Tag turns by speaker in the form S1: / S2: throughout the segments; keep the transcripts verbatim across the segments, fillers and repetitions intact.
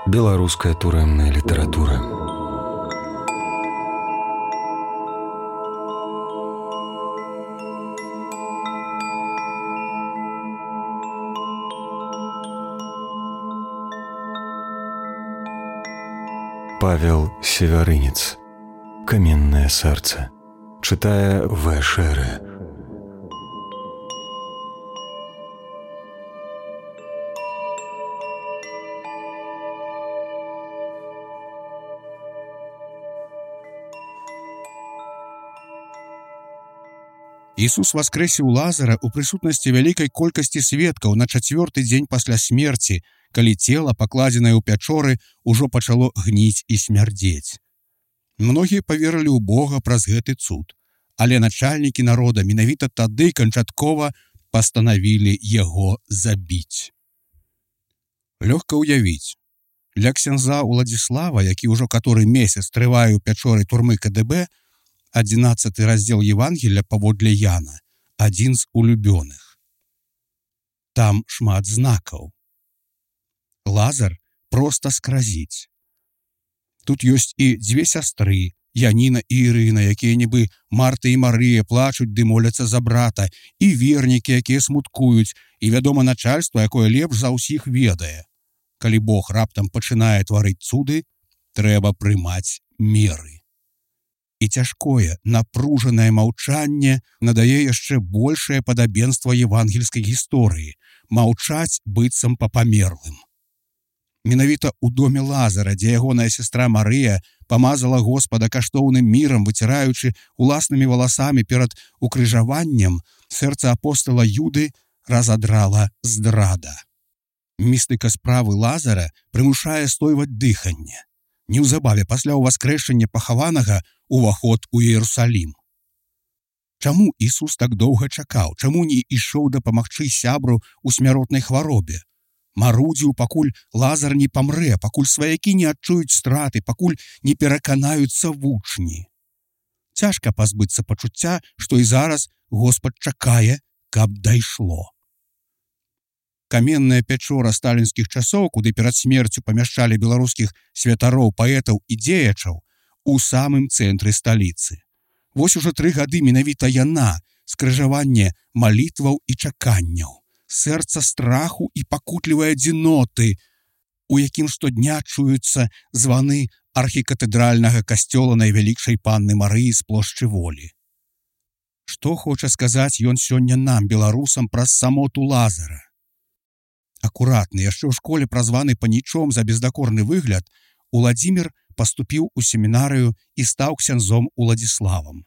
S1: Беларуская турэмная літаратура. Павел Севярынец. Каменное сердце. Читая В. Шеры.
S2: Ісус воскрэсіў Лазара ў прысутнасці вялікай колькасці сведкаў на чацвёрты дзень пасля смерці, калі цела, пакладзенае ў пячоры, ужо пачало гніць і смярдзець. Многія паверылі ў Бога праз гэты цуд, але начальнікі народа менавіта тады канчаткова пастанавілі яго забіць. Лёгка ўявіць, для ксяндза Уладзіслава, які ўжо каторы месяц трывае ў пячоры турмы ка дэ бэ, адзінаццаты раздзел Евангелля паводле Яна, адзін з улюбёных. Там шмат знакаў. Лазар проста скразіць. Тут ёсць і дзве сястры, Яніна і Ірына, якія нібы Марта і Марыя плачуць ды моляцца за брата, і вернікі, якія смуткуюць, і, вядома, начальства, якое лепш за ўсіх ведае. Калі Бог раптам пачынае тварыць цуды, трэба прымаць меры. І цяжкое, напружанае маўчанне надае яшчэ большае падабенства евангельскай гісторыі, маўчаць быццам па памерлым. Менавіта ў доме Лазара, дзе ягоная сястра Марыя памазала Господа каштоўным мірам, выціраючы уласнымі валасамі перад укрыжаваннем, сэрца апостала Юды разадрала здрада. Містыка справы Лазара прымушае стойваць дыханне. Неўзабаве пасля ўваскрэшання пахаванага уваход у Іерусалім. Чаму Ісус так доўга чакаў? Чаму не ішоў дапамагчы сябру ў смяротнай хваробе? Марудзіў, пакуль Лазар не памрэ, пакуль сваякі не адчуюць страты, пакуль не пераканаюцца вучні. Цяжка пазбыцца пачуцця, што і зараз Господ чакае, каб дайшло. Каменная пячора сталінскіх часоў, куды перад смерцю памяшчалі беларускіх святароў, паэтаў і дзеячаў, у самым цэнтры сталіцы. Вось ужо тры гады менавіта яна, скрыжаванне малітваў і чаканняў, сэрца страху і пакутлівай адзіноты, у якім штодня чуюцца званы архікатэдральнага касцёла найвялікшай панны Марыі з плошчы Волі. Што хоча сказаць ён сёння нам, беларусам, праз самоту Лазара? Акуратны, яшчэ ў школе празваны панічом за бездакорны выгляд, Уладзімір паступіў у семінарыю і стаў ксяндзом Уладзіславам.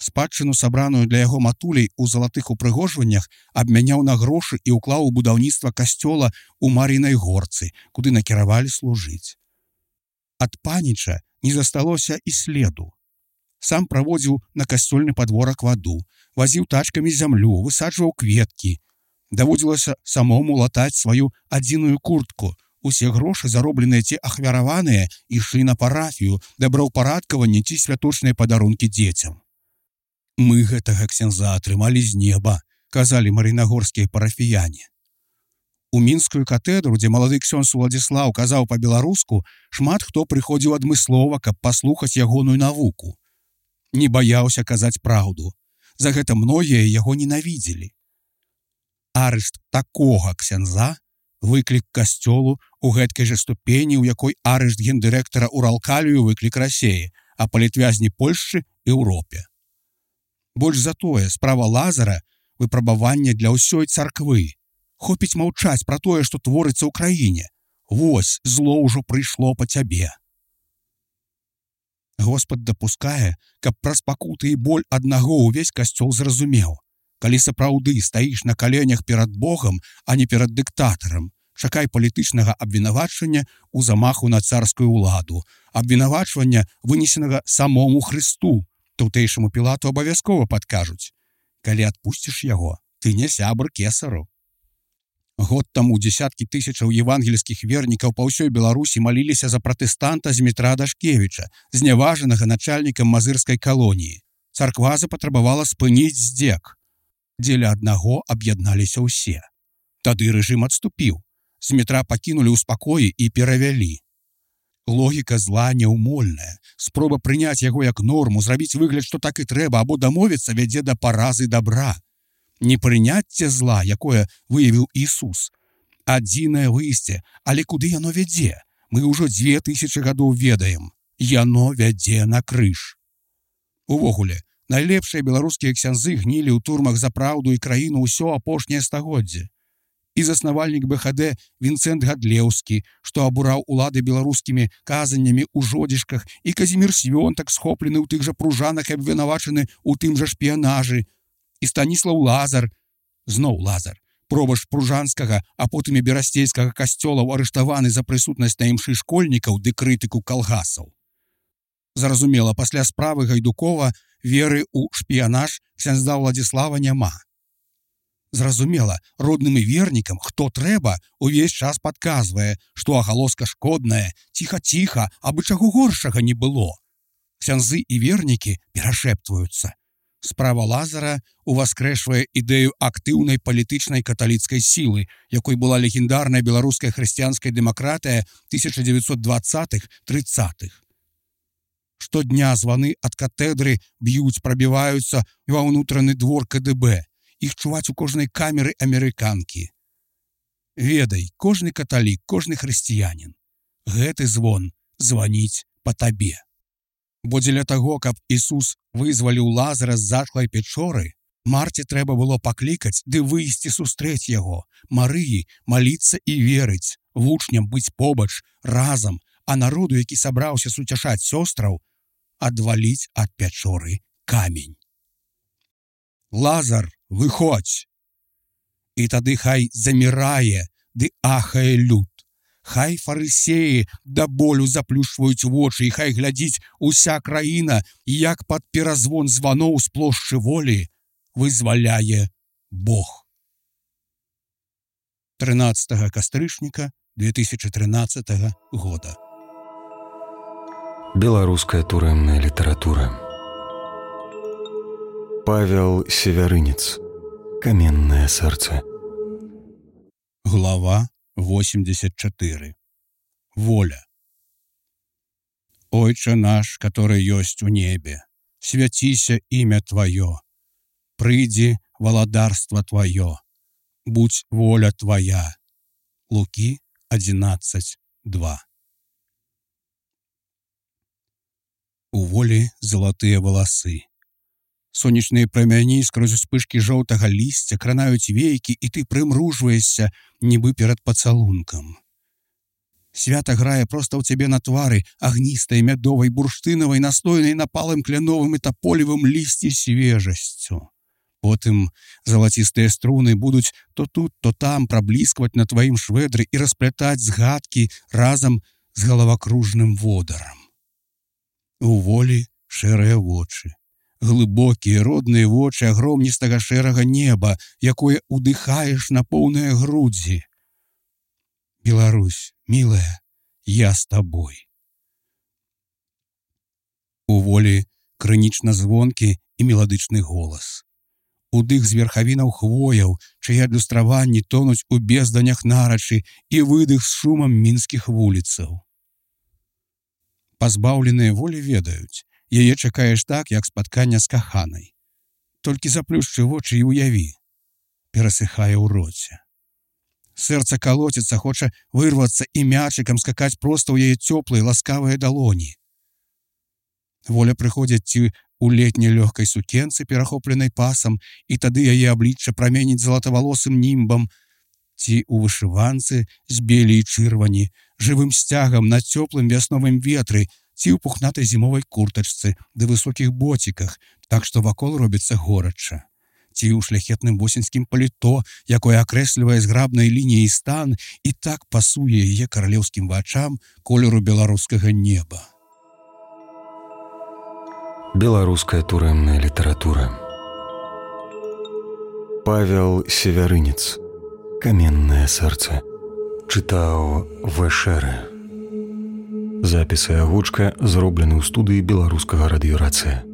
S2: Спадчыну, сабраную для яго матулей у залатых упрыгожваннях, абмяняў на грошы і ўклаў у будаўніцтва касцёла ў Мар'інай горцы, куды накіравалі служыць. Ад паніча не засталося і следу. Сам праводзіў на касцёльны падворак ваду, вазіў тачкамі зямлю, высаджваў кветкі. Даводзілася самому латаць сваю адзіную куртку. Усе грошы, заробленыя ці ахвяраваныя, ішлі на парафію, добраўпарадкаванне ці святочныя падарункі дзецям. Мы гэтага ксяндза атрымалі з неба, казалі мар'інагорскія парафіяне. У мінскую катэдру, дзе малады ксёндз Уладзіслаў казаў па-беларуску, шмат хто прыходзіў адмыслова, каб паслухаць ягоную навуку. Не баяўся казаць праўду. За гэта многія яго ненавідзелі. Арышт такога ксяндза, выклік касцёлу у гэткай жа ступені, у якой арышт гендырэктара Уралкалію выклік Расеі, а палітвязні Польшчы Еўропе. Больш за тое, справа Лазара – выпрабаванне для ўсёй царквы. Хопіць маўчаць пра тое, што творыцца ў краіне. Вось, зло ўжо прыйшло па цябе. Господ дапускае, каб праз пакуты і боль аднаго ўвесь касцёл зразумеў. Калі сапраўды стаіш на каленях перад Богам, а не перад дыктатарам, чакай палітычнага абвінавачвання ў замаху на царскую ўладу, абвінавачвання, вынесенага самому Хрысту. Тутэйшаму Пілату абавязкова падкажуць. Калі адпусціш яго, ты не сябр кесару. Год таму дзесяткі тысячаў евангельскіх вернікаў па ўсёй Беларусі маліліся за пратэстанта Змітра Дашкевіча, зняважанага начальнікам мазырскай калоніі. Царква запатрабавала спыніць здзек. Дзеля аднаго аб'ядналіся ўсе. Тады рэжым адступіў. з метра пакінулі ў спакоі і перавялі. Логіка зла няўмольная. Спроба прыняць яго як норму, зрабіць выгляд, што так і трэба, або дамовіцца вядзе да паразы дабра. Непрыняцце зла, якое выявіў Ісус. Адзінае выйсце, але куды яно вядзе? Мы ўжо дзве тысячы гадоў ведаем. Яно вядзе на крыж. Увогуле, найлепшыя беларускія ксяндзы гнілі ў турмах за праўду і краіну ўсё апошняе стагоддзе. І заснавальнік бэ ха дэ Вінцэнт Гадлеўскі, што абураў улады беларускімі казаннямі ў жодзішках, і Казімір Свёнтак, схоплены ў тых жа пружанах і абвінавачаны ў тым жа шпіянажы, і Станіслаў Лазар, зноў Лазар, пробашч пружанскага, а потым і берасцейскага касцёлаў, арыштаваны за прысутнасць на імшы школьнікаў ды крытыку калгасаў. Зразумела, пасля справы Гайдукова веры ў шпіянаж ксяндза Владзіслава няма. Зразумела, родным і вернікам, хто трэба, увесь час падказвае, што агалоска шкодная, ціха-ціха, абы чаго горшага не было. Ксяндзы і вернікі перашэптваюцца. Справа Лазара уваскрэшвае ідэю актыўнай палітычнай каталіцкай сілы, якой была легендарная беларуская хрысціянская дэмакратыя тысяча дзевяцьсот дваццатых — трыццатых. Штодня званы ад катедры б'юць, прабіваюцца ва ўнутраны двор ка дэ бэ. Іх чуваць у кожнай камеры амерыканкі. Ведай, кожны каталік, кожны хрысціянін. Гэты звон званіць па табе. Бо дзеля таго, каб Ісус вызваліў Лазара з затхлай пячоры, Марце трэба было паклікаць ды выйсці сустрэць яго, Марыі маліцца і верыць, вучням быць побач, разам, а народу, які сабраўся суцяшаць сёстраў, адваліць ад пячоры камень. Лазар, выходзь! І тады хай замірае ды ахае люд. Хай фарысеі да болю заплюшваюць вочы, і хай глядзіць уся краіна, як пад перазвон званоў з плошчы волі вызваляе Бог. трынаццатага кастрычніка две тысячы трынаццатага года.
S1: Беларуская турэмная літаратура. Павел Севярынец. Каменное сэрца.
S2: Глава восемьдесят четыре. Воля. Ойче наш, который ёсць у небе, свяціся імя Твоё, прыйдзі валадарства Твоё, будь воля Твоя. Лукі одиннадцать два. У волі залатыя валасы. Сонечныя прамяні скрозь успышкі жоўтага лісця кранаюць вейкі, і ты прымружваешся, нібы перад пацалункам. Свята грае проста ў цябе на твары, агністай, мядовай, бурштынавай, настойнай напалым кляновым і таполевым лісці свежасцю. Потым залацістыя струны будуць то тут, то там прабліскваць на тваім швэдры і расплятаць згадкі разам з галавакружным водарам. У волі шэрыя вочы. Глыбокія родныя вочы агромністага шэрага неба, якое удыхаеш на поўныя грудзі. Беларусь, мілая, я з табой. У волі крынічна звонкі і меладычны голас. Удых з верхавінаў хвояў, чые адлюстраванні тонуць у безданях нарачы, і выдых з шумам мінскіх вуліцаў. Пазбаўленыя волі ведаюць, яе чакаеш так, як спаткання з каханай. Толькі заплюшчы вочы і уяві. Перасыхае ў роце. Сэрца калоціцца, хоча вырвацца і мячыкам скакаць проста ў яе цёплыя, ласкавыя далоні. Воля прыходзіць ці ў летняй лёгкай сукенцы, перахопленай пасам, і тады яе аблічча праменіць залатавалосым німбам, ці ў вышыванцы з белі і чырвані, жывым сцягам на цёплым вясновым ветры, ці ў пухнатай зімовай куртачцы ды высокіх боціках, так што вакол робіцца горача, ці ў шляхетным восеньскім паліто, якое акрэслівае зграбнай лініяй стан і так пасуе яе каралеўскім вачам колеру беларускага неба.
S1: Беларуская турэмная літаратура. Павел Севярынец. Каменное сэрца. Чытаў Вэшэрэ. Запіс і агучка зроблены ў студыі беларускага радыёрацыя.